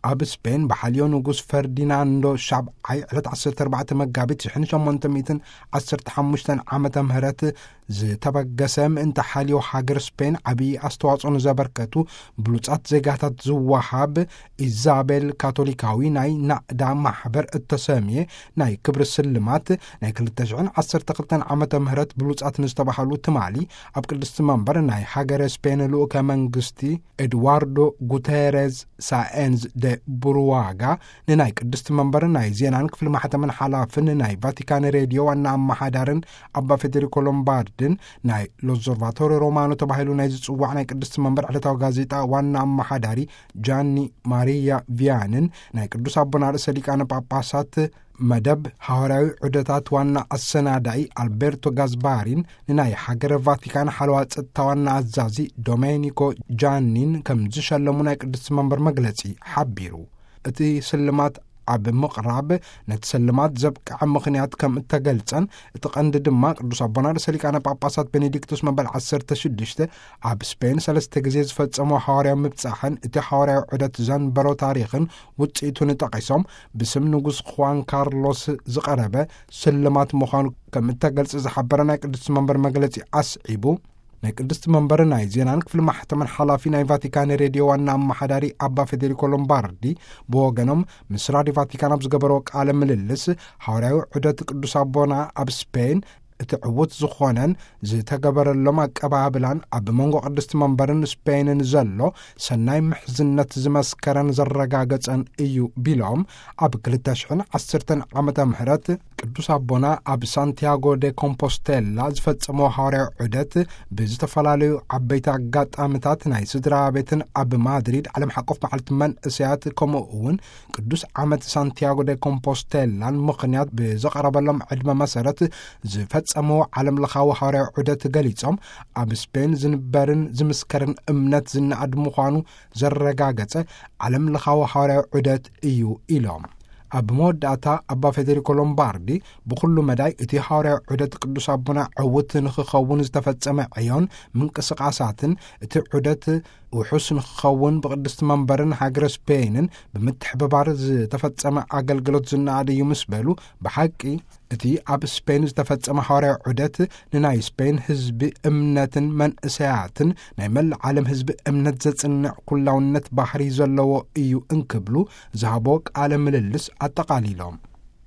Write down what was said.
ኣብ ስፔን ብሓልዮ ንጉስ ፈርዲናንዶ ሻብዓይ ዕለት ዓሰርተ ኣርባዕተ መጋቢት ሽሕን ሸሞንተ ሚእትን ዓሰርተ ሓሙሽተን ዓመተ ምህረት ዝተበገሰ ምእንቲ ሓልዮ ሃገር ስፔን ዓብዪ ኣስተዋጽኦ ንዘበርከቱ ብሉጻት ዜጋታት ዝወሃብ ኢዛቤል ካቶሊካዊ ናይ ናእዳ ማሕበር እተሰምየ ናይ ክብሪ ስልማት ናይ ክልተ ሽሕን ዓሰርተ ክልተን ዓመተ ምህረት ብሉጻት ንዝተባሃሉ ትማሊ ኣብ ቅድስቲ መንበር ናይ ሃገረ ስፔን ልኡከ መንግስቲ ኤድዋርዶ ጉተረዝ ሳኤንዝ ደ ቡሩዋጋ ንናይ ቅድስቲ መንበር ናይ ዜናን ክፍሊ ማሕተምን ሓላፍን ናይ ቫቲካን ሬድዮ ዋና ኣመሓዳርን ኣባ ፌዴሪኮ ሎምባርድን ናይ ሎዞርቫቶሪ ሮማኖ ተባሂሉ ናይ ዝጽዋዕ ናይ ቅድስቲ መንበር ዕለታዊ ጋዜጣ ዋና ኣመሓዳሪ ጃኒ ማሪያ ቪያንን ናይ ቅዱስ ኣቦና ርእሰ ሊቃነ ጳጳሳት መደብ ሃዋርያዊ ዑደታት ዋና ኣሰናዳኢ ኣልቤርቶ ጋዝባሪን ንናይ ሃገረ ቫቲካን ሓለዋ ጸጥታ ዋና ኣዛዚ ዶሜኒኮ ጃኒን ከም ዝሸለሙ ናይ ቅድስቲ መንበር መግለጺ ሓቢሩ። እቲ ስልማት ኣብ ምቕራብ ነቲ ስልማት ዘብቅዐ ምኽንያት ከም እተገልጸን፣ እቲ ቀንዲ ድማ ቅዱስ ኣቦና ርእሰ ሊቃነ ጳጳሳት ቤኔዲክቱስ መበል ዓሰርተ ሽዱሽተ ኣብ ስፔን ሰለስተ ግዜ ዝፈጸሞ ሃዋርያዊ ምብጻሕን እቲ ሃዋርያዊ ዑደት ዘንበሮ ታሪኽን ውጽኢቱን ጠቒሶም፣ ብስም ንጉስ ኹዋን ካርሎስ ዝቐረበ ስልማት ምዃኑ ከም እተገልጸ ዝሓበረ ናይ ቅድስቲ መንበር መግለጺ ኣስዒቡ፣ ናይ ቅድስቲ መንበር ናይ ዜናን ክፍሊ ማሕተምን ሓላፊ ናይ ቫቲካን ሬድዮ ዋና ኣመሓዳሪ ኣባ ፌዴሪኮ ሎምባርዲ ብወገኖም ምስ ራድዮ ቫቲካን ኣብ ዝገበረዎ ቃለ ምልልስ፣ ሃዋርያዊ ዑደት ቅዱስ ኣቦና ኣብ ስፔን እቲ ዕዉት ዝኾነን ዝተገበረሎም ኣቀባብላን ኣብ መንጎ ቅድስቲ መንበርን ስፔንን ዘሎ ሰናይ ምሕዝነት ዝመስከረን ዘረጋገጸን እዩ ቢሎም፣ ኣብ ክልተ ሽሕን ዓሰርተን ዓመተ ምህረት ቅዱስ ኣቦና ኣብ ሳንቲያጎ ደ ኮምፖስቴላ ዝፈጸሞ ሃዋርያዊ ዑደት ብዝተፈላለዩ ዓበይቲ ኣጋጣሚታት ናይ ስድራ ቤትን ኣብ ማድሪድ ዓለም ሓቆፍ መዓልቲ መንእሰያት ከምኡ እውን ቅዱስ ዓመት ሳንቲያጎ ደ ኮምፖስቴላን ምኽንያት ብዘቐረበሎም ዕድመ መሰረት ዝፈጸመዎ ዓለም ለኻዊ ሃዋርያዊ ዑደት ገሊጾም፣ ኣብ ስፔን ዝንበርን ዝምስከርን እምነት ዝነኣድ ምዃኑ ዘረጋገጸ ዓለም ለኻዊ ሃዋርያዊ ዑደት እዩ ኢሎም። ኣብ መወዳእታ ኣባ ፌዴሪኮ ሎምባርዲ ብኹሉ መዳይ እቲ ሃዋርያዊ ዑደት ቅዱስ ኣቦና ዕውት ንኽኸውን ዝተፈጸመ ዕዮን ምንቅስቓሳትን፣ እቲ ዑደት ውሑስ ንኽኸውን ብቅድስቲ መንበርን ሃገረ ስፔንን ብምትሕብባር ዝተፈጸመ ኣገልግሎት ዝነኣድ እዩ ምስ በሉ፣ ብሓቂ እቲ ኣብ ስፔን ዝተፈጸመ ሃዋርያዊ ዑደት ንናይ ስፔን ህዝቢ እምነትን መንእሰያትን ናይ መላእ ዓለም ህዝቢ እምነት ዘጽንዕ ኩላውነት ባህሪ ዘለዎ እዩ እንክብሉ ዝሃቦ ቃለ ምልልስ ኣጠቓሊሎም።